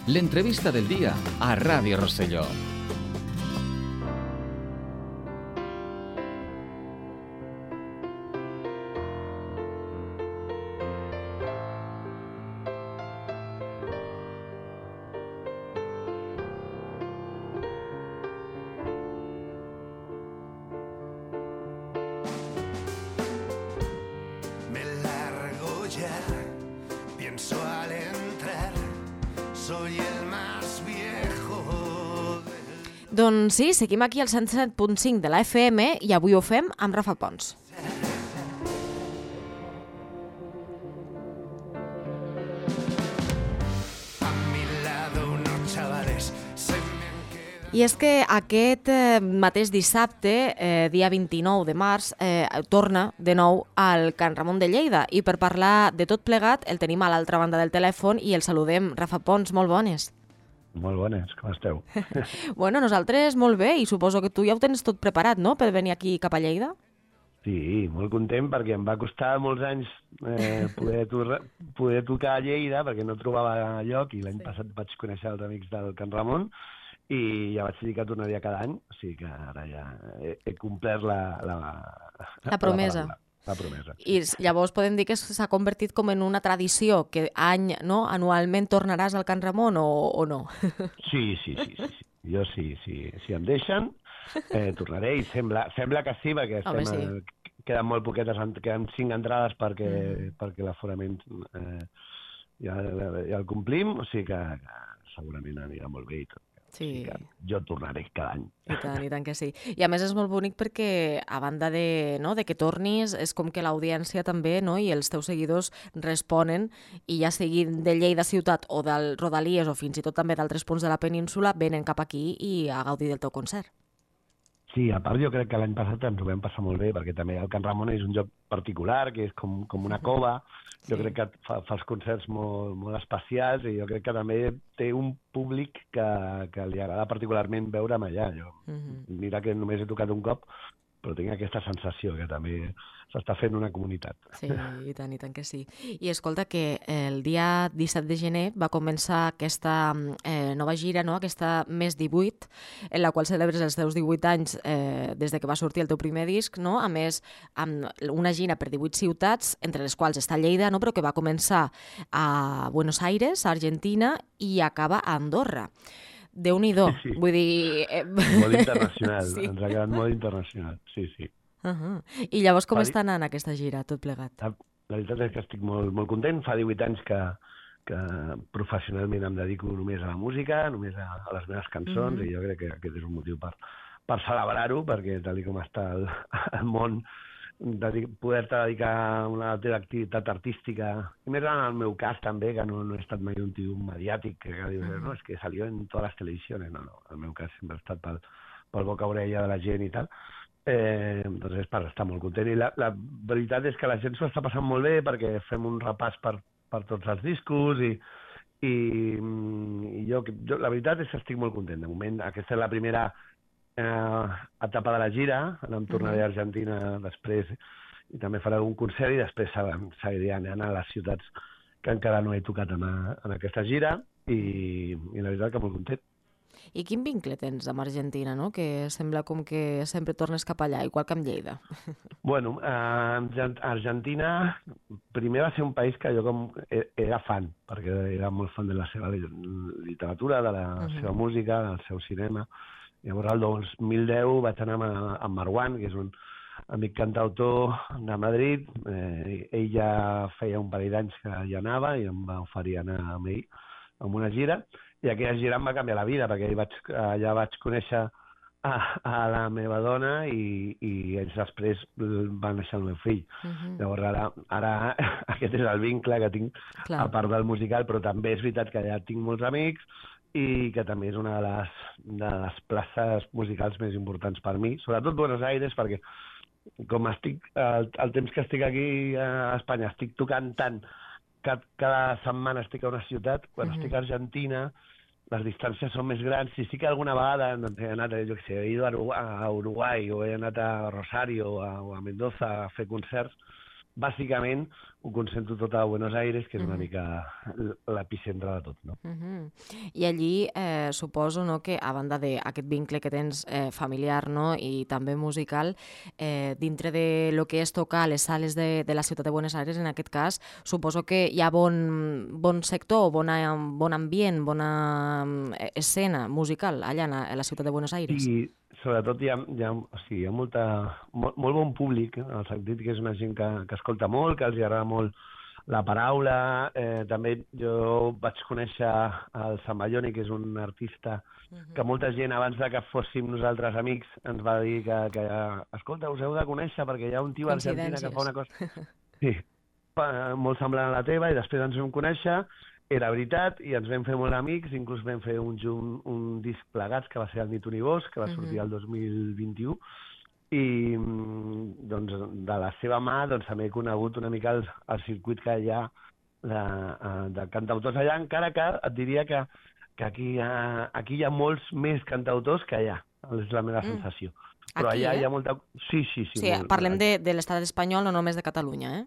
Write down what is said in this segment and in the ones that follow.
L'entrevista del dia a Ràdio Rosselló. Doncs sí, seguim aquí al 107.5 de la FM i avui ho fem amb Rafa Pons. I és que aquest mateix dissabte, dia 29 de març, torna de nou al Can Ramon de Lleida i per parlar de tot plegat el tenim a l'altra banda del telèfon i el saludem. Rafa Pons, molt bones. Molt bones, com esteu? Bueno, nosaltres molt bé i suposo que tu ja ho tens tot preparat, no?, per venir aquí cap a Lleida? Sí, molt content perquè em va costar molts anys poder tocar a Lleida perquè no trobava lloc i l'any passat vaig conèixer els amics del Can Ramon i ja vaig dir que tornaria cada any, o sigui que ara ja he complert la promesa. La promesa. I llavors podem dir que s'ha convertit com en una tradició, que anualment tornaràs al Can Ramon o no? Sí. Jo sí. Si em deixen, tornaré i sembla que sí, perquè queden molt poquetes, queden 5 entrades perquè l'aforament ja el complim, o sigui que segurament anirà molt bé i tot. Sí. Jo tornaré cada any. I tant que sí. I a més és molt bonic perquè, a banda de que tornis, és com que l'audiència també i els teus seguidors responen i ja siguin de Lleida ciutat o del Rodalies o fins i tot també d'altres punts de la península, venen cap aquí i a gaudir del teu concert. Sí, a part jo crec que l'any passat ens ho vam passar molt bé, perquè també el Can Ramon és un lloc particular, que és com una cova. Jo crec que fa els concerts molt especials i jo crec que també té un públic que li agrada particularment veure'm allà. Mira que només he tocat un cop, però tinc aquesta sensació que també s'està fent una comunitat. Sí, i tant que sí. I escolta, que el dia 17 de gener va començar aquesta nova gira, aquesta Més 18, en la qual celebres els teus 18 anys des de que va sortir el teu primer disc, a més, amb una gira per 18 ciutats, entre les quals està Lleida, però que va començar a Buenos Aires, a Argentina, i acaba a Andorra. Déu-n'hi-do, sí. Vull dir... Molt internacional, sí. Ens ha quedat molt internacional, sí. I llavors com està anant aquesta gira, tot plegat? La veritat és que estic molt content. Fa 18 anys que professionalment em dedico només a la música, només a les meves cançons, i jo crec que aquest és un motiu per celebrar-ho, perquè tal com està el món, poder-te dedicar a una altra activitat artística, i més en el meu cas també, que no he estat mai un tio mediàtic, que dius, no, és que salió en totes les televisiones, no, el meu cas sempre ha estat pel boca-orella de la gent i tal, doncs és per estar molt content. I la veritat és que la gent s'ho està passant molt bé perquè fem un repàs per tots els discos i jo la veritat és que estic molt content. De moment, aquesta és la primera etapa de la gira, ara em tornaré a Argentina després i també faré algun concert i després seguiré anant a les ciutats que encara no he tocat en aquesta gira i la veritat que molt content. I quin vincle tens amb Argentina, que sembla com que sempre tornes cap allà, igual que amb Lleida? Bueno, Argentina primer va ser un país que jo era fan, perquè era molt fan de la seva literatura, de la seva música, del seu cinema. Llavors, el 2010 vaig anar amb Marwan, que és un amic cantautor de Madrid. Ell ja feia un parell d'anys que hi anava i em va oferir anar amb ell en una gira. I aquella gira em va canviar la vida, perquè allà vaig conèixer a la meva dona i ells després van néixer el meu fill. Llavors, ara aquest és el vincle que tinc, a part del musical, però també és veritat que allà tinc molts amics i que també és una de les places musicals més importants per mi, sobretot Buenos Aires, perquè com el temps que estic aquí a Espanya, estic tocant tant que cada setmana estic a una ciutat, quan estic a Argentina les distàncies són més grans, i sí que alguna vegada he anat, jo què sé, he ido a Uruguai o he anat a Rosario o a Mendoza a fer concerts, bàsicament ho concentro tot a Buenos Aires, que és una mica l'epicentre de tot, no? I allí suposo, no, que a banda d'aquest vincle que tens familiar, no, i també musical, dintre de lo que és tocar a les sales de la ciutat de Buenos Aires, en aquest cas, suposo que hi ha bon sector, bon ambient, bona escena musical allà a la ciutat de Buenos Aires. Sí, sobretot hi ha molt bon públic, en el sentit que és una gent que escolta molt, que els agrada molt la paraula. També jo vaig conèixer el Zambayoni, que és un artista que molta gent, abans de que fóssim nosaltres amics, ens va dir que escolta, us heu de conèixer perquè hi ha un tio a Argentina que fa una cosa... Sí, molt semblant a la teva, i després ens vam conèixer, era veritat, i ens vam fer molt amics, inclús vam fer un disc plegats, que va ser el Ni tu ni vos, que va sortir el 2021, i doncs, de la seva mà també he conegut una mica el circuit que hi ha de cantautors allà, encara que et diria que aquí hi ha molts més cantautors que allà, és la meva sensació. Però aquí, allà hi ha molta... Sí, parlem de l'estat espanyol, no només de Catalunya, eh?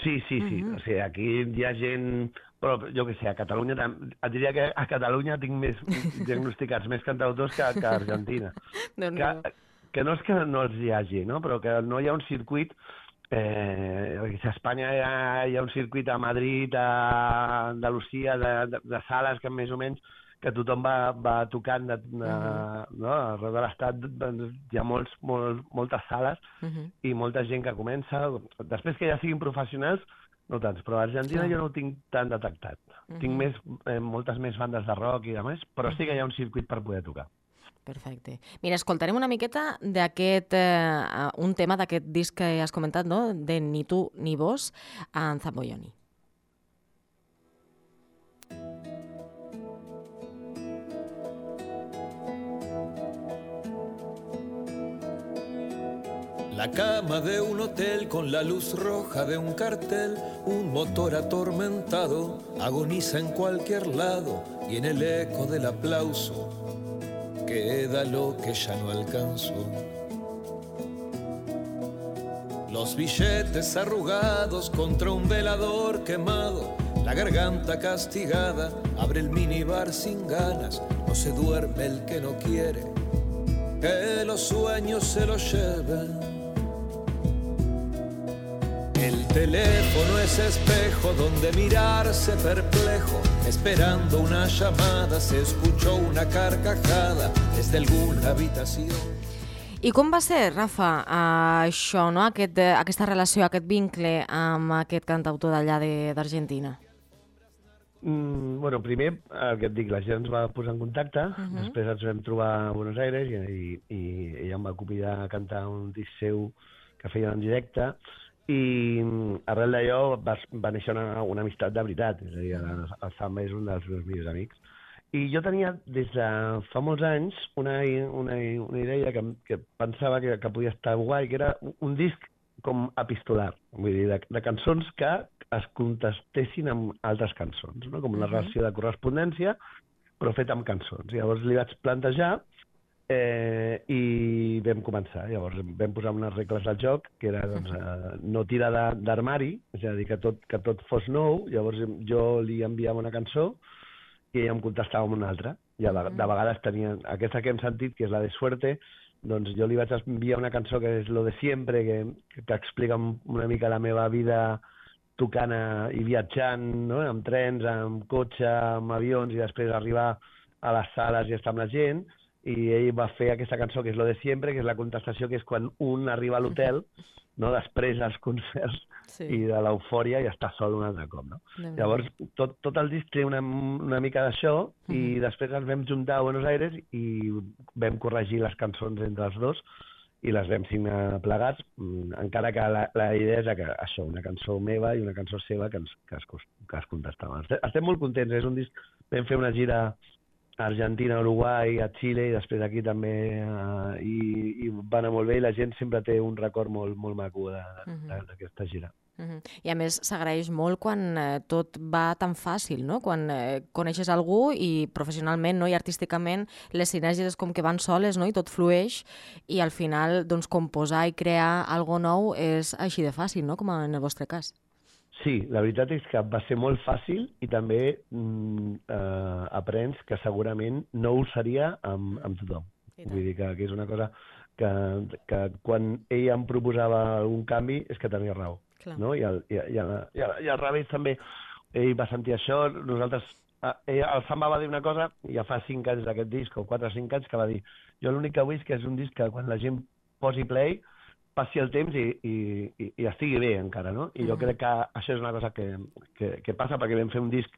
Sí. O sigui, aquí hi ha gent... Però jo què sé, a Catalunya... Et diria que a Catalunya tinc més diagnosticats més cantautors que a Argentina. Que no és que no els hi hagi, no? Però que no hi ha un circuit... a Espanya hi ha un circuit a Madrid, a Andalusia, de sales que més o menys que tothom va tocant no? Arreu de l'estat hi ha moltes sales i molta gent que comença. Després que ja siguin professionals, no tants, però a Argentina jo no ho tinc tan detectat. Tinc moltes més bandes de rock i demés, però sí que hi ha un circuit per poder tocar. Perfecte. Mira, escoltarem una miqueta d'aquest, un tema d'aquest disc que has comentat, no? De Ni tu ni vos, en Zambayoni. La cama de un hotel con la luz roja de un cartel, un motor atormentado agoniza en cualquier lado y en el eco del aplauso queda lo que ya no alcanzó. Los billetes arrugados contra un velador quemado, la garganta castigada, abre el minibar sin ganas, no se duerme el que no quiere, que los sueños se los lleven. El teléfono es espejo donde mirarse perplejo, esperando una llamada se escuchó una carcajada desde alguna habitació. I com va ser, Rafa, això, no? Aquesta relació, aquest vincle amb aquest cantautor d'allà d'Argentina? Bueno, primer, el que et dic, la gent ens va posar en contacte, després ens vam trobar a Buenos Aires i ella em va convidar a cantar un disc seu que feia en directe, i arrel d'allò va néixer una amistat de veritat, és a dir, el Zamba és un dels meus millors amics. I jo tenia, des de fa molts anys, una idea que pensava que podia estar guai, que era un disc com epistolar, vull dir, de cançons que es contestessin amb altres cançons, no? Com una relació de correspondència, però feta amb cançons. Llavors li vaig plantejar i vam començar. Llavors vam posar unes regles del joc, que era no tirar d'armari, és a dir, que tot fos nou. Llavors jo li enviava una cançó i ella em contestava amb una altra. I de vegades tenia aquesta que hem sentit, que és la de Suerte, doncs jo li vaig enviar una cançó que és Lo de Siempre, que explica una mica la meva vida tocant i viatjant, no? Amb trens, amb cotxe, amb avions, i després arribar a les sales i estar amb la gent. I ell va fer aquesta cançó que és Lo de Siempre, que és la contestació, que és quan un arriba a l'hotel, no? Després dels concerts i de l'eufòria, i està sol un altre cop. No? Llavors, tot el disc té una mica d'això, i després ens vam juntar a Buenos Aires i vam corregir les cançons entre els dos i les vam signar plegats, encara que la idea és que això, una cançó meva i una cançó seva que es contestaven. Estem molt contents, és un disc... Vam fer una gira a Argentina, a Uruguai, a Xile, i després aquí també, i va anar molt bé, i la gent sempre té un record molt maco d'aquesta gira. I a més s'agraeix molt quan tot va tan fàcil, no? Quan coneixes algú i professionalment, no? I artísticament les sinergies és com que van soles, no? I tot flueix i al final doncs, composar i crear algo nou és així de fàcil, no? Com en el vostre cas. Sí, la veritat és que va ser molt fàcil i també aprens que segurament no ho seria amb tothom. Vull dir que és una cosa que quan ell em proposava algun canvi és que tenia raó. No? I al revés també, ell va sentir això, nosaltres, el Samba va dir una cosa ja fa 5 anys d'aquest disc, o 4 o 5 anys, que va dir, jo l'únic que vull és que és un disc que quan la gent posi play, passi el temps i estigui bé encara, no? I jo crec que això és una cosa que passa perquè vam fer un disc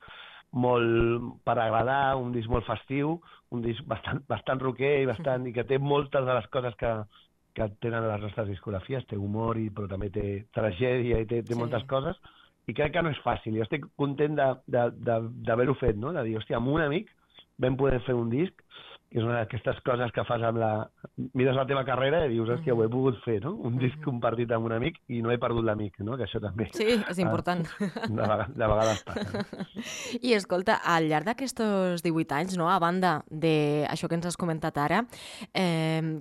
molt per agradar, un disc molt festiu, un disc bastant rocker i que té moltes de les coses que tenen les nostres discografies, té humor, però també té tragèdia i té moltes coses, i crec que no és fàcil. Jo estic content d'haver-ho fet, no? De dir, hòstia, amb un amic vam poder fer un disc, que és una d'aquestes coses que fas amb mires la teva carrera i dius, hòstia, ho he pogut fer, no? Un disc compartit amb un amic i no he perdut l'amic, no? Que això també... Sí, és important. De vegades passa. I escolta, al llarg d'aquests 18 anys, no? A banda d'això que ens has comentat ara,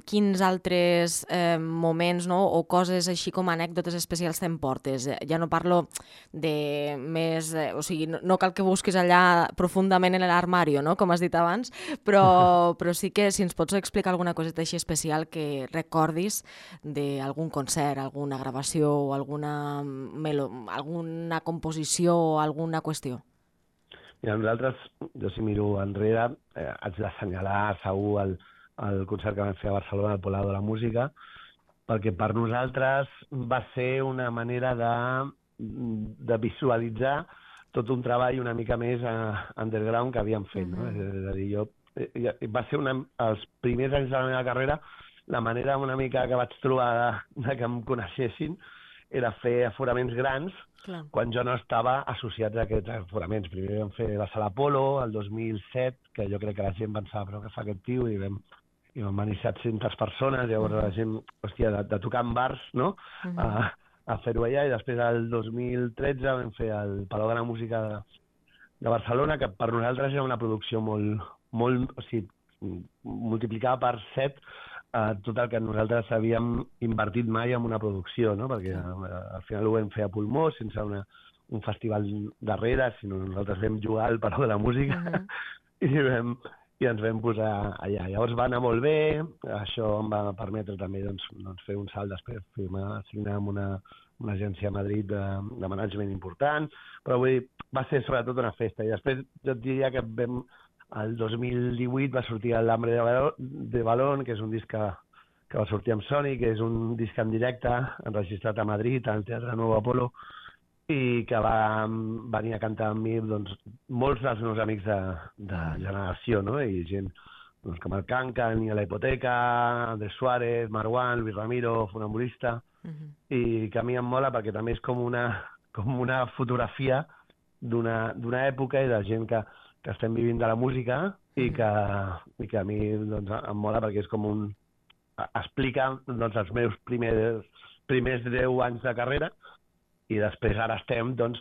quins altres moments, no? O coses així com anècdotes especials t'emportes? Ja no parlo de més... O sigui, no cal que busquis allà profundament en l'armari, no? Com has dit abans, però sí que si ens pots explicar alguna coseta així especial que recordis d'algun concert, alguna gravació o alguna composició o alguna qüestió. Mira, nosaltres, jo si miro enrere, haig d'assenyalar segur el concert que vam fer a Barcelona, al Palau de la Música, perquè per nosaltres va ser una manera de visualitzar tot un treball una mica més underground que havíem fet, no? És a dir, va ser els primers anys de la meva carrera, la manera una mica que vaig trobar que em coneixessin era fer aforaments grans quan jo no estava associat a aquests aforaments. Primer vam fer la Sala Apolo, el 2007, que jo crec que la gent pensava, però què fa aquest tio? I vam venir 700 persones, llavors la gent, hòstia, de tocar en bars, no?, a fer-ho allà, i després el 2013 vam fer el Palau de la Música de Barcelona, que per nosaltres era una producció o sigui, multiplicava per 7 tot el que nosaltres havíem invertit mai en una producció, no? Perquè al final ho vam fer a pulmó, sense un festival darrere, sinó nosaltres vam jugar al Palau de la Música i ens vam posar allà. Llavors va anar molt bé, això em va permetre també fer un salt després, signar amb una agència a Madrid de management important, però vull dir, va ser sobretot una festa. I després jo et diria que el 2018 va sortir l'Hambre de Balón, que és un disc que va sortir amb Sony, que és un disc en directe, enregistrat a Madrid, al Teatre Nou Apolo, i que va venir a cantar amb mi molts dels meus amics de generació, no? I gent com el Cancan, i la Hipoteca, Andrés Suárez, Marwan, Luis Ramiro, Funambulista, i que a mi em mola perquè també és com una fotografia d'una època i de gent que estem vivint de la música i que a mi em mola perquè és com explica els meus primers 10 anys de carrera i després ara estem en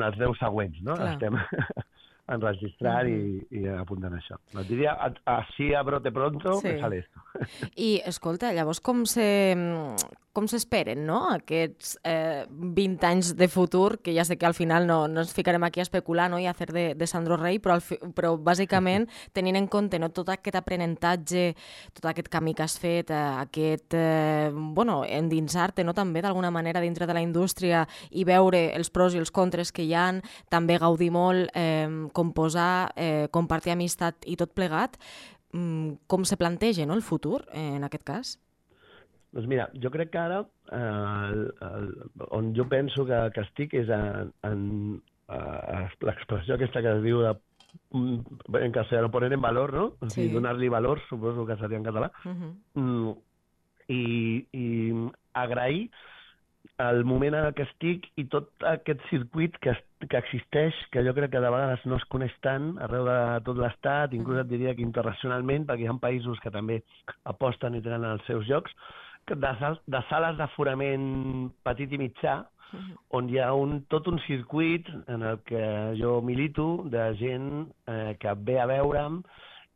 els 10 següents, no? Estem enregistrant i apuntant això. Et diria, així a brote pronto, me sale esto. I, escolta, llavors com s'esperen, no?, aquests 20 anys de futur, que ja sé que al final no ens ficarem aquí a especular, no?, i a fer de Sandro Rey, però bàsicament tenint en compte, no?, tot aquest aprenentatge, tot aquest camí que has fet, endinsar-te, no?, també d'alguna manera dintre de la indústria i veure els pros i els contres que hi ha, també gaudir molt, composar, compartir amistat i tot plegat, com se planteja, no?, el futur, en aquest cas? Doncs mira, jo crec que ara on jo penso que estic és en l'expressió aquesta que es diu en castellano, poner en valor, no? O sigui, donar-li valor, suposo que seria en català. I agrair el moment en què estic i tot aquest circuit que existeix, que jo crec que de vegades no es coneix tant arreu de tot l'estat, inclús et diria que internacionalment, perquè hi ha països que també aposten i tenen els seus llocs, de sales d'aforament petit i mitjà, on hi ha tot un circuit en el que jo milito de gent que ve a veure'm,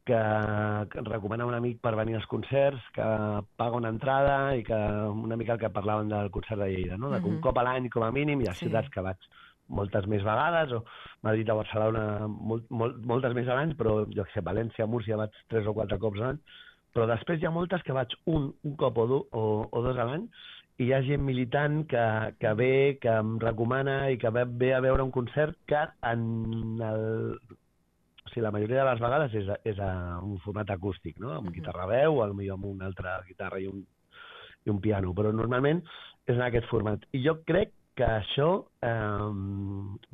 que recomana un amic per venir als concerts, que paga una entrada i que una mica el que parlàvem del concert de Lleida, no? De que un cop a l'any com a mínim hi ha ciutats que vaig moltes més vegades, o Madrid a Barcelona moltes més a l'any, però jo que sé, València, Múrcia vaig 3 o 4 cops a l'any, però després hi ha moltes que vaig un cop o 2 a l'any, i hi ha gent militant que ve, que em recomana i que ve a veure un concert que la majoria de les vegades és a un format acústic, no? Amb guitarra veu, potser amb una altra guitarra i un piano, però normalment és en aquest format. I jo crec que això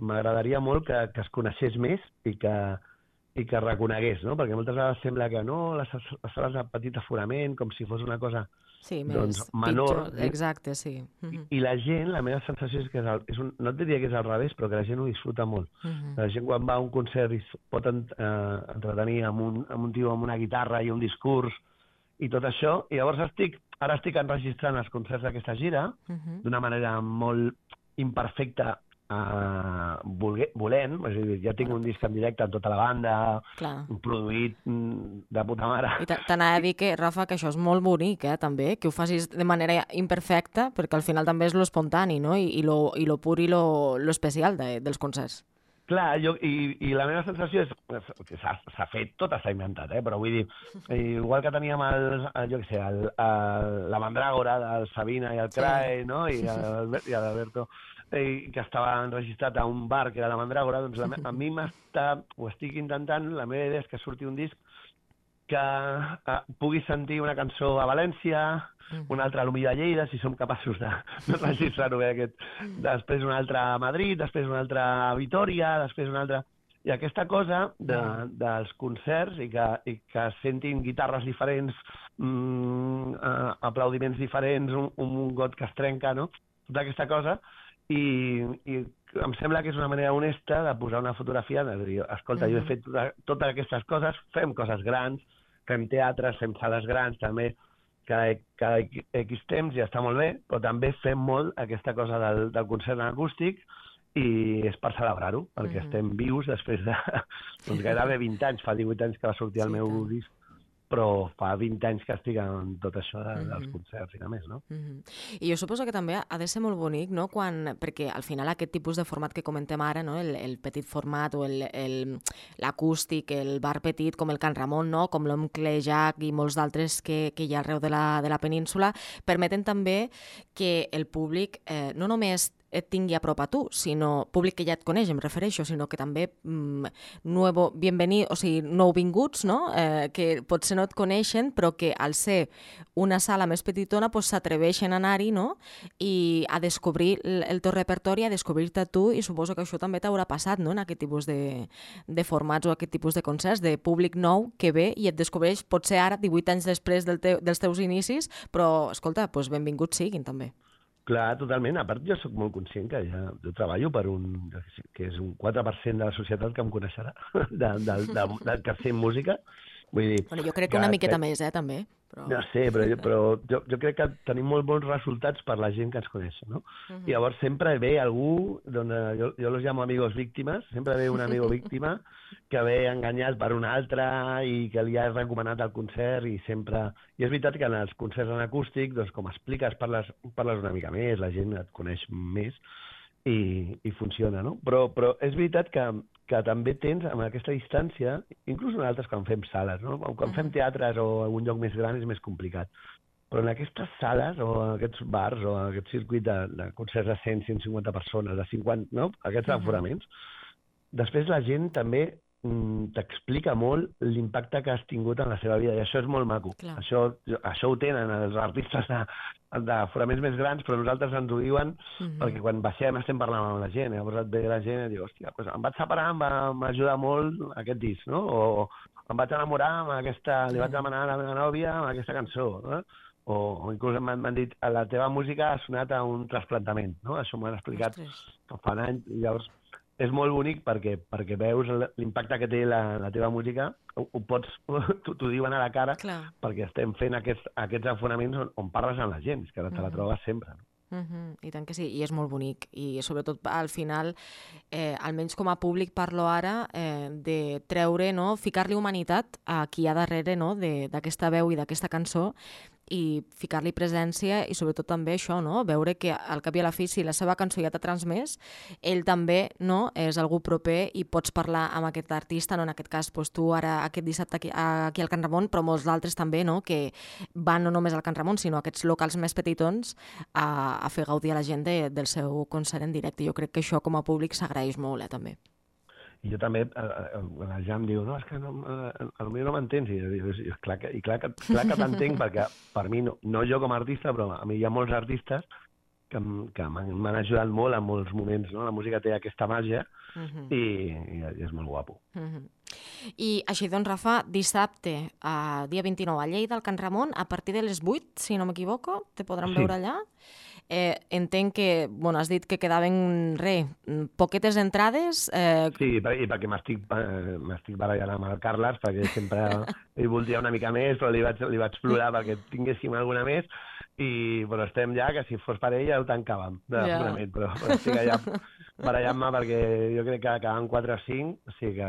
m'agradaria molt que es coneixés més i que reconegués, no? Perquè moltes vegades sembla que no, les sales de petit aforament, com si fos una cosa menor. Exacte, sí. I la gent, la meva sensació és que no et diria que és al revés, però que la gent ho disfruta molt. La gent quan va a un concert i pot entretenir amb un tio amb una guitarra i un discurs i tot això, i llavors ara estic enregistrant els concerts d'aquesta gira d'una manera molt imperfecta, volent, és a dir, ja tinc un disc en directe amb tota la banda, produït de puta mare. I t'anava a dir que, Rafa, que això és molt bonic, també, que ho facis de manera imperfecta, perquè al final també és lo espontani, no? I lo pur i lo especial dels concerts. Clar, i la meva sensació és que s'ha fet, tot està inventat, però vull dir, igual que teníem la Mandràgora del Sabina i el Crae, no? I l'Alberto, que estava enregistrat a un bar que era la Mandràgora, doncs a mi ho estic intentant, la meva idea és que surti un disc que pugui sentir una cançó a València, una altra a l'Humil de Lleida, si som capaços de registrar-ho bé després una altra a Madrid, després una altra a Vitoria, després una altra... I aquesta cosa dels concerts i que sentin guitarres diferents, aplaudiments diferents, un got que es trenca, no? Tota aquesta cosa, i em sembla que és una manera honesta de posar una fotografia, de dir, escolta, jo he fet totes aquestes coses, fem coses grans, fem teatres, fem sales grans, també cada X temps i està molt bé, però també fem molt aquesta cosa del concert en acústic i és per celebrar-ho, perquè estem vius després de gairebé 20 anys, fa 18 anys que va sortir el meu disc, però fa 20 anys que estic en tot això dels concerts i de més, no? I jo suposo que també ha de ser molt bonic, no? Perquè al final aquest tipus de format que comentem ara, no? El petit format o l'acústic, el bar petit com el Can Ramon, no? Com l'Oncle Jack i molts d'altres que hi ha arreu de la península, permeten també que el públic no només et tingui a prop a tu, sinó públic que ja et coneix, em refereixo, sinó que també nouvinguts, no? Que potser no et coneixen, però que al ser una sala més petitona s'atreveixen a anar-hi, no? I a descobrir el teu repertori, a descobrir-te tu, i suposo que això també t'haurà passat, no? En aquest tipus de formats o aquest tipus de concerts, de públic nou que ve i et descobreix potser ara, 18 anys després dels teus inicis, però, escolta, benvinguts siguin també. Clar, totalment. A part, jo sóc molt conscient que jo treballo per que és un 4% de la societat que em coneixerà, del que fem música. Vull dir... Bueno, jo crec que una miqueta més, també. No sé, però jo crec que tenim molt bons resultats per la gent que ens coneix, no? I llavors sempre ve algú, jo los llamo amigos víctimes, sempre ve un amigo víctima que ve enganyat per un altre i que li ha recomanat el concert i sempre... I és veritat que en els concerts en acústic, doncs com expliques, parles una mica més, la gent et coneix més i funciona, no? Però és veritat que també tens, amb aquesta distància, inclús en altres quan fem sales, no? Quan fem teatres o algun lloc més gran és més complicat. Però en aquestes sales o en aquests bars o en aquest circuit de concerts de 100, 150 persones, de 50, no? Aquests aforaments, després la gent també t'explica molt l'impacte que has tingut en la seva vida, i això és molt maco. Això ho tenen els artistes d'aforaments més grans, però nosaltres ens ho diuen perquè quan baixem estem parlant amb la gent, llavors et ve la gent i diu, hòstia, em vaig separar, em va ajudar molt aquest disc, no? O em vaig enamorar amb aquesta, li vaig demanar a la meva nòvia amb aquesta cançó, no? O inclús m'han dit, la teva música ha sonat a un trasplantament, no? Això m'ho han explicat fa un any, i llavors és molt bonic perquè veus l'impacte que té la teva música, t'ho diuen a la cara, perquè estem fent aquests afonaments on parles amb la gent, és que te la trobes sempre. I tant que sí, i és molt bonic. I sobretot al final, almenys com a públic parlo ara, de treure, no? Ficar-li humanitat a qui hi ha darrere, no? D'aquesta veu i d'aquesta cançó, i ficar-li presència i sobretot també això, no? Veure que al cap i a la fi, si la seva cançó ja t'ha transmès, ell també, no? És algú proper i pots parlar amb aquest artista, no? En aquest cas, doncs, tu ara aquest dissabte aquí al Can Ramon, però molts d'altres també, no? Que van no només al Can Ramon, sinó a aquests locals més petitons a fer gaudir a la gent del seu concert en directe. Jo crec que això com a públic s'agraeix molt, també. I jo també, la Jam diu, no, és que potser no m'entens. I jo dic, clar que t'entenc, perquè per mi, no jo com a artista, però a mi hi ha molts artistes que m'han ajudat molt en molts moments, no? La música té aquesta màgia i és molt guapo. I així doncs, Rafa, dissabte, dia 29, a Lleida, al Can Ramon, a partir de les 8, si no m'equivoco, te podran veure allà. Entenc que, bueno, has dit que quedaven, poquetes entrades. Sí, i perquè m'estic barallant amb el Carles, perquè sempre ell volia una mica més, però li vaig plorar perquè tinguéssim alguna més, però estem ja, que si fos per ell ja ho tancàvem, segurament, però estic allà barallant-me perquè jo crec que acaben 4 o 5, o sigui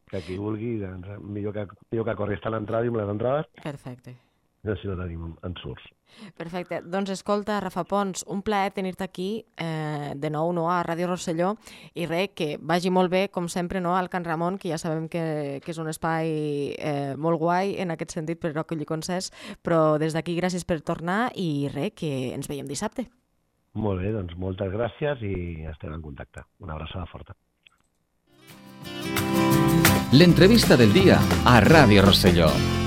que qui vulgui, millor que corri estar a l'entrada i amb les entrades. Perfecte. No sé si no tenim en surts. Perfecte. Doncs escolta, Rafa Pons, un plaer tenir-te aquí de nou, no, a Ràdio Rosselló, i que vagi molt bé, com sempre, no, al Can Ramon, que ja sabem que és un espai molt guai en aquest sentit per recollir concerts, però des d'aquí gràcies per tornar i que ens veiem dissabte. Molt bé, doncs moltes gràcies i estem en contacte. Una abraçada forta. L'entrevista del dia a Ràdio Rosselló.